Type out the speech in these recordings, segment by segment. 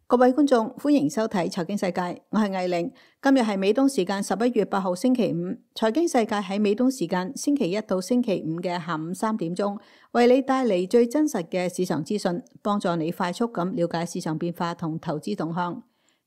各位觀眾，歡迎收睇財經世界，我係艾玲。今日係美東時間11月8號星期五，財經世界喺美東時間星期一到星期五嘅下午3點鐘，為你帶嚟最真實嘅市場資訊，幫助你快速咁了解市場變化同投資動向。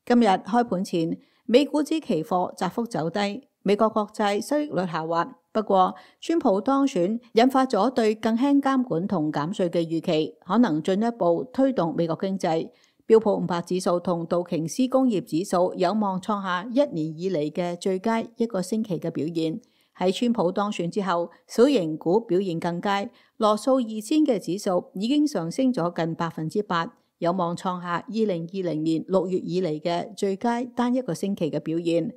今日開盤前，美股指期貨窄幅走低，美國國債收益率下滑。不過，川普當選引發咗對更輕監管同減稅嘅預期，可能進一步推動美國經濟。標普500指數同道瓊斯工業指數有望創下1年以嚟嘅最佳一個星期嘅表現。喺川普當選之後，小型股表現更佳，羅素2000嘅指數已經上升咗近8%，有望創下2020年6月以嚟嘅最佳單一個星期嘅表現。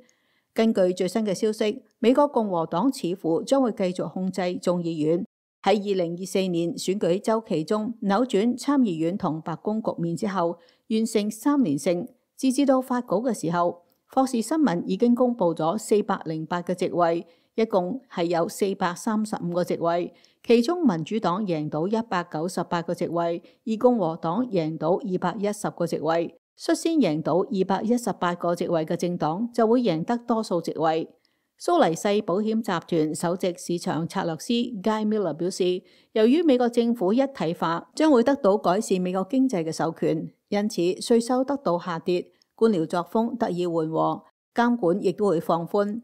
根據最新嘅消息，美國共和黨似乎將會繼續控制眾議院。喺2024年選舉週期中扭轉參議院同白宮局面之後，完成3連勝。截至到發稿嘅時候，霍士新聞已經公布咗408個席位，一共係有435個席位，其中民主黨贏到198個席位，而共和黨贏到210個席位。率先贏到218個席位嘅政黨就會贏得多數席位。蘇黎世保險集團首席市場策略師 Guy Miller 表示，由於美國政府一體化將會得到改善美國經濟嘅授權，因此稅收得到下跌，官僚作風得以緩和，監管亦都會放寬。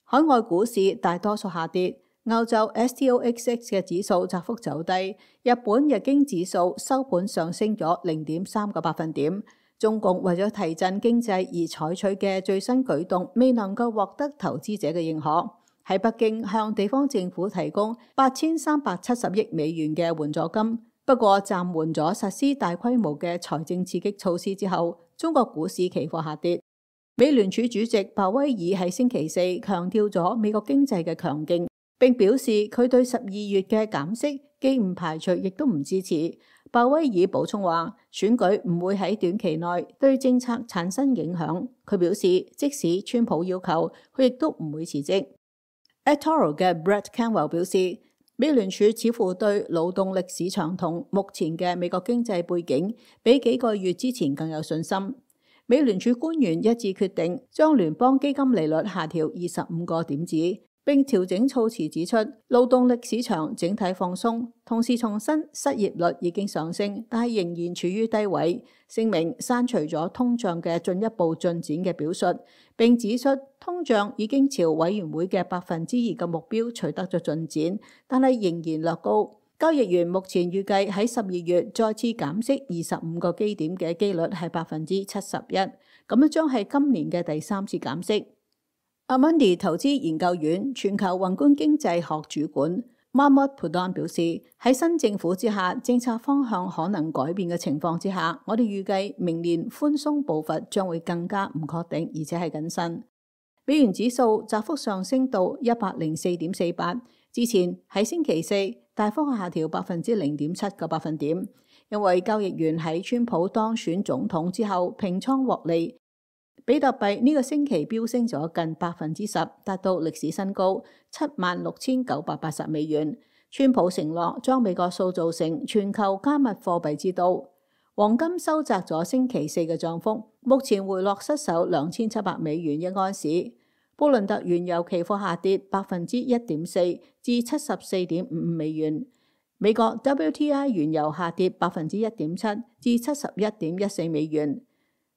海外股市大多數下跌，歐洲 STOXX 嘅指數窄幅走低，日本日經指數收盤上升咗0.3個百分點。中共為咗提振經濟而採取嘅最新舉動未能夠獲得投資者嘅認可。喺北京向地方政府提供8370億美元嘅援助金，不過暫緩咗實施大規模嘅財政刺激措施之後，中國股市期貨下跌。美聯儲主席鮑威爾喺星期四強調咗美國經濟嘅強勁，並表示佢對12月嘅減息既唔排除亦都唔支持。鮑威爾補充話，選舉唔會喺短期內對政策產生影響。佢表示，即使川普要求，佢亦都唔會辭職。eToro 嘅 Brett Canwell 表示，美聯儲似乎對勞動力市場同目前嘅美國經濟背景比幾個月之前更有信心。美聯儲官員一致決定將聯邦基金利率下調25個點子，並調整措辭指出，勞動力市場整體放鬆，同時重申失業率已經上升，但係仍然處於低位。聲明刪除咗通脹嘅進一步進展嘅表述，並指出通脹已經朝委員會嘅2%嘅目標取得咗進展，但係仍然略高。交易員目前預計喺12月再次減息25個基點嘅機率係71%，咁樣將係今年嘅第3次減息。Amundi 投資研究院全球宏觀經濟學主管 Mahmoud Pradhan 表示，喺新政府之下，政策方向可能改變嘅情況之下，我哋預計明年寬鬆步伐將會更加唔確定，而且係謹慎。美元指數窄幅上升到104.48，之前喺星期四大幅下調0.7個百分點，因為交易員喺川普當選總統之後平倉獲利。比特幣呢個星期飆升咗近10%，達到歷史新高76,980美元。川普承諾將美國塑造成全球加密貨幣之都。黃金收窄咗星期四嘅漲幅，目前回落失守2700美元一盎司。布倫特原油期貨下跌1.4%至74.55美元。美國 WTI 原油下跌1.7%至71.14美元。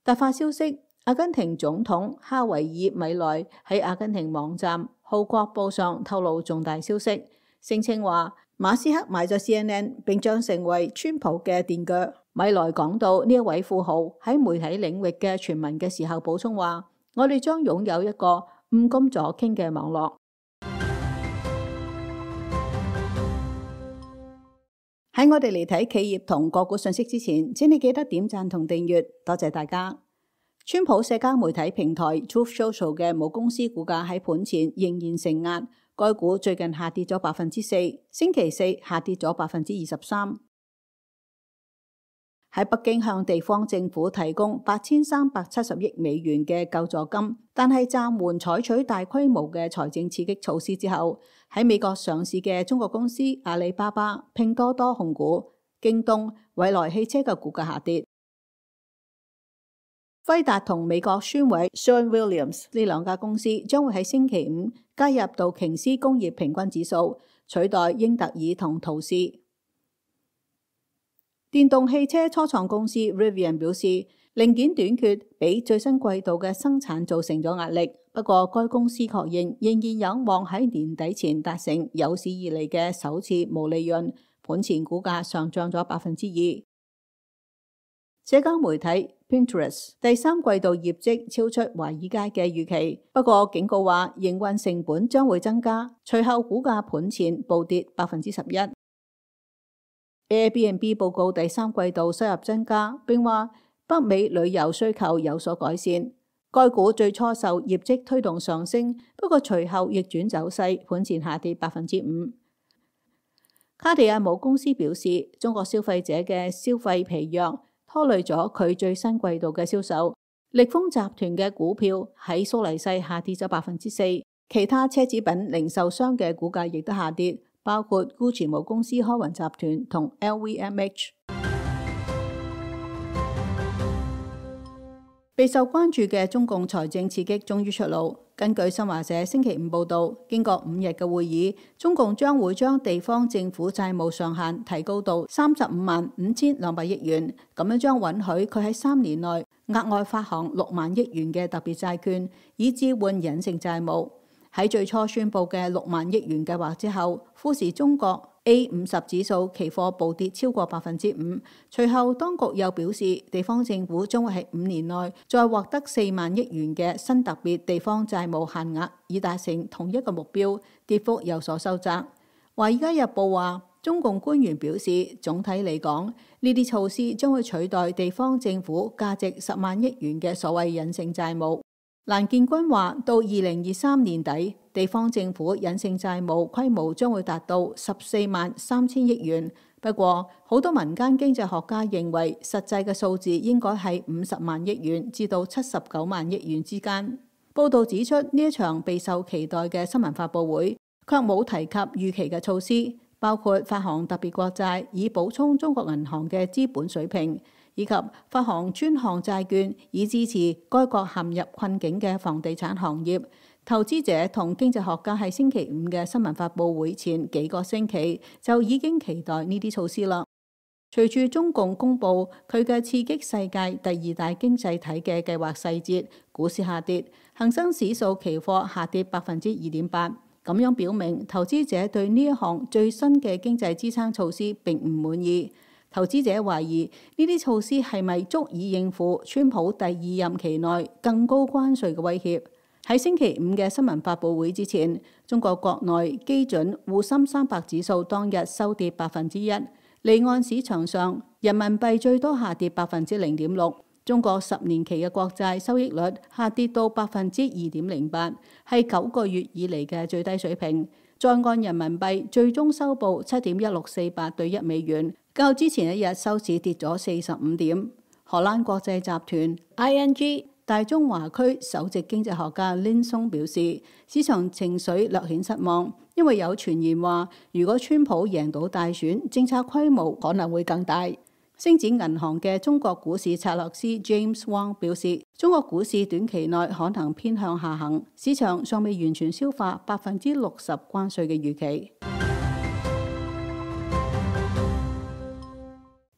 突發消息。阿根廷總統哈維爾米萊喺阿根廷網站《號角報》上透露重大消息，聲稱話馬斯克買咗 CNN， 並將成為川普嘅墊腳。米萊講到呢一位富豪喺媒體領域嘅傳聞嘅時候，補充話：我哋將擁有一個五金左傾嘅網絡。喺我哋嚟睇企業同個股信息之前，請你記得點讚同訂閱，多謝大家。川普社交媒體平台 Truth Social 嘅母公司股價喺盤前仍然承壓，該股最近下跌咗4%，星期四下跌咗23%。喺北京向地方政府提供8370億美元嘅救助金，但係暫緩採取大規模嘅財政刺激措施之後，喺美國上市嘅中國公司阿里巴巴、拼多多控股、京東、蔚來汽車嘅股價下跌。輝達同美國宣委 Sherwin-Williams 呢兩家公司將會喺星期五加入道瓊斯工業平均指數，取代英特爾同陶氏。電動汽車初創公司 Rivian 表示，零件短缺俾最新季度嘅生產造成咗壓力。不過，該公司確認仍然有望喺年底前達成有史以嚟嘅首次毛利潤。盤前股價上漲咗2%。社交媒體 Pinterest 第三季度業績超出華爾街嘅預期，不過警告話營運成本將會增加。隨後股價盤前暴跌11%。Airbnb 報告第三季度收入增加，並話北美旅遊需求有所改善。該股最初受業績推動上升，不過隨後逆轉走勢，盤前下跌5%。卡地亞母公司表示，中國消費者嘅消費疲弱拖累咗佢最新季度嘅銷售。力豐集團嘅股票喺蘇黎世下跌咗4%，其他奢侈品零售商嘅股價亦都下跌，包括 Gucci 母公司開雲集團同 LVMH。備受關注嘅中共財政刺激終於出爐。根據新華社星期五報導，經過5日嘅會議，中共將會將地方政府債務上限提高到355200億元，咁樣將允許佢喺3年內額外發行6萬億元嘅特別債券，以置換隱性債務。喺最初宣布嘅6萬億元計劃之後，富時中國 A50 指數期貨暴跌超過5%。隨後當局又表示，地方政府將會喺5年內再獲得4萬億元嘅新特別地方債務限額，以達成同一個目標，跌幅有所收窄。華爾街日報話，中共官員表示，總體嚟講，呢啲措施將會取代地方政府價值10萬億元嘅所謂隱性債務。蘭建軍話，到2023年底，地方政府隱性債務規模將會達到14萬3千億元。不過，好多民間經濟學家認為，實際嘅數字應該係50萬億元至到79萬億元之間。報導指出，呢一場備受期待嘅新聞發佈會，卻冇提及預期嘅措施，包括發行特別國債以補充中國銀行嘅資本水平，以及發行專項債券以支持該國陷入困境嘅房地產行業。投資者同經濟學家喺星期五嘅新聞發佈會前幾個星期就已經期待呢啲措施啦。隨住中共公布佢嘅刺激世界第2大經濟體嘅計劃細節，股市下跌，恒生指數期貨下跌2.8%，咁樣表明投資者對呢一項最新嘅經濟支撐措施並唔滿意。投資者懷疑呢啲措施係咪足以應付川普第2任期內更高關稅嘅威脅？喺星期五嘅新聞發佈會之前，中國國內基準滬深300指數當日收跌1%，離岸市場上人民幣最多下跌0.6%。中國10年期嘅國債收益率下跌到2.08%，係9個月以嚟嘅最低水平。在岸人民幣最終收報7.1648對1美元，較之前一日收市跌咗45點。荷蘭國際集團 ING 大中華區首席經濟學家 Lin Song 表示，市場情緒略顯失望，因為有傳言話，如果川普贏到大選，政策規模可能會更大。星展銀行嘅中國股市策略師 James Wang 表示，中國股市短期內可能偏向下行，市場尚未完全消化60%關稅嘅預期。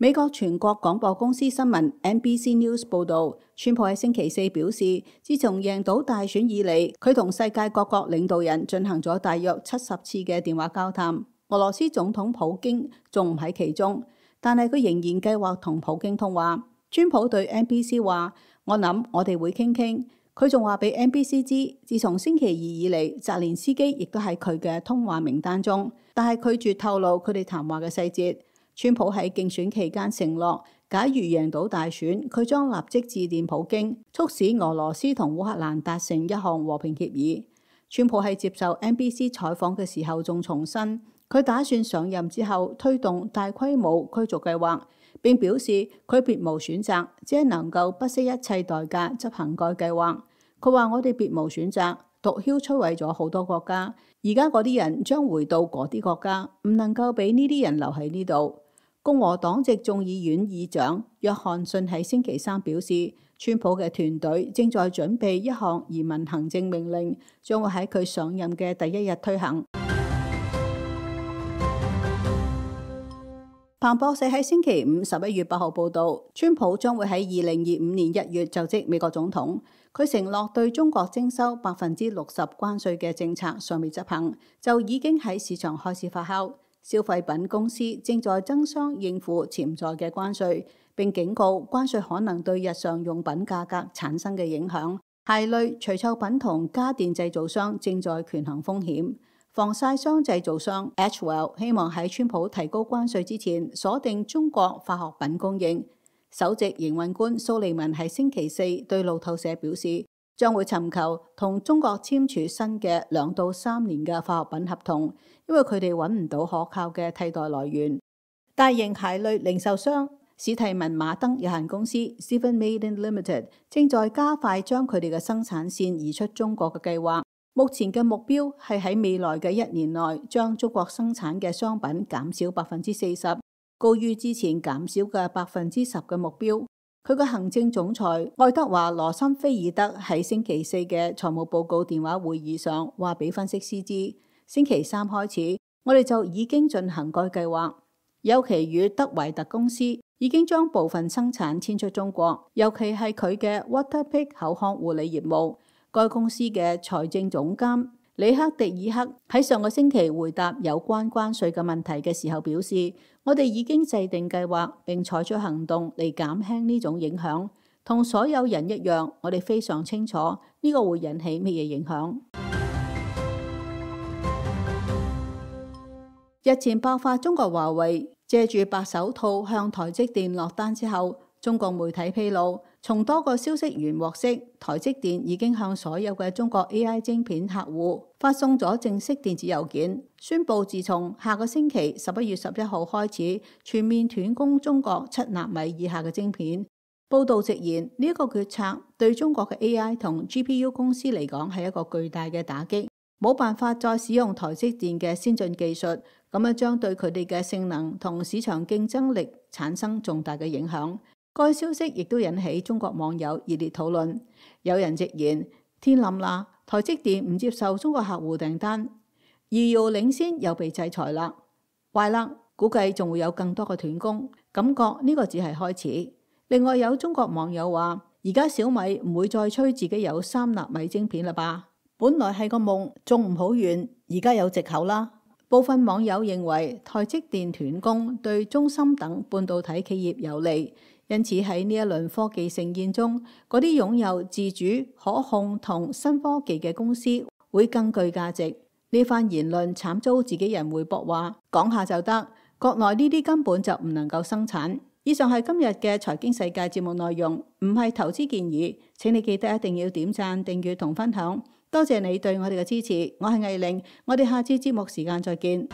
美國全國廣播公司新聞 NBC News 報導，川普喺星期四表示，自從贏到大選以嚟，佢同世界各國領導人進行咗大約70次嘅電話交談。俄羅斯總統普京仲唔喺其中，但係佢仍然計劃同普京通話。川普對 NBC 話：我諗我哋會傾傾。佢仲話俾 NBC 知，自從星期二以嚟，澤連斯基亦都喺佢嘅通話名單中，但係拒絕透露佢哋談話嘅細節。川普喺競選期間承諾，假如贏到大選，佢將立即致電普京，促使俄羅斯同烏克蘭達成一項和平協議。川普喺接受 NBC 採訪嘅時候仲重申，佢打算上任之後推動大規模驅逐計劃，並表示佢別無選擇，只係能夠不惜一切代價執行該計劃。佢話：我哋別無選擇，毒梟摧毀咗好多國家，而家嗰啲人將回到嗰啲國家，唔能夠俾呢啲人留喺呢度。共和黨籍眾議院議長約翰遜喺星期三表示，川普嘅團隊正在準備一項移民行政命令，將會喺佢上任嘅第一日推行。彭博社喺星期五11月8號報導，川普將會喺2025年1月就職美國總統。佢承諾對中國徵收60%關稅嘅政策尚未執行，就已經喺市場開始發酵。消費品公司正在爭相應付潛在嘅關稅，並警告關稅可能對日常用品價格產生嘅影響。鞋類、除臭品同家電製造商正在權衡風險。防曬霜製造商 Ashwell 希望喺川普提高關稅之前鎖定中國化學品供應。首席營運官蘇利文喺星期四對路透社表示，將會尋求同中國簽署新嘅2到3年嘅化學品合同，因為佢哋揾唔到可靠嘅替代來源。大型鞋類零售商史蒂文馬登有限公司 Stephen Madden Limited 正在加快將佢哋嘅生產線移出中國嘅計劃。目前嘅目標係喺未來嘅1年內將中國生產嘅商品減少40%，高於之前減少嘅10%嘅目標。佢嘅行政總裁愛德華羅森菲爾德喺星期四嘅財務報告電話會議上話俾分析師知，星期三開始我哋就已經進行該計劃。尤其與德維特公司已經將部分生產遷出中國，尤其係佢嘅 Waterpik 口腔護理業務。該公司嘅財政總監里克迪爾克喺上個星期回答有關關稅嘅問題嘅時候表示，我哋已經制定計劃並採取行動嚟減輕呢種影響。同所有人一樣，我哋非常清楚呢個會引起乜嘢影響。日前爆發中國華為借住白手套向台積電落單之後，中國媒體披露，從多個消息源獲悉，台積電已經向所有嘅中國 AI 晶片客戶發送咗正式電子郵件，宣布自從下個星期11月11號開始，全面斷供中國7納米以下嘅晶片。報道直言，呢一個決策對中國嘅 AI 同 GPU 公司嚟講係一個巨大嘅打擊，冇辦法再使用台積電嘅先進技術，咁樣將對佢哋嘅性能同市場競爭力產生重大嘅影響。該消息亦都引起中國網友熱烈討論，有人直言天冧啦，台積電唔接受中國客戶訂單，遙遙領先又被制裁啦，壞啦，估計仲會有更多嘅斷供，感覺呢個只係開始。另外有中國網友話，而家小米唔會再吹自己有3納米晶片啦吧？本來係個夢，仲唔好遠，而家有藉口啦。部分網友認為台積電斷供對中芯等半導體企業有利。因此喺呢一輪科技盛宴中，嗰啲擁有自主、可控同新科技嘅公司會更具價值。呢番言論慘遭自己人回駁話，講下就得，國內呢啲根本就唔能夠生產。以上係今日嘅財經世界節目內容，唔係投資建議。請你記得一定要點讚、訂閱同分享。多謝你對我哋嘅支持，我係藝玲，我哋下次節目時間再見。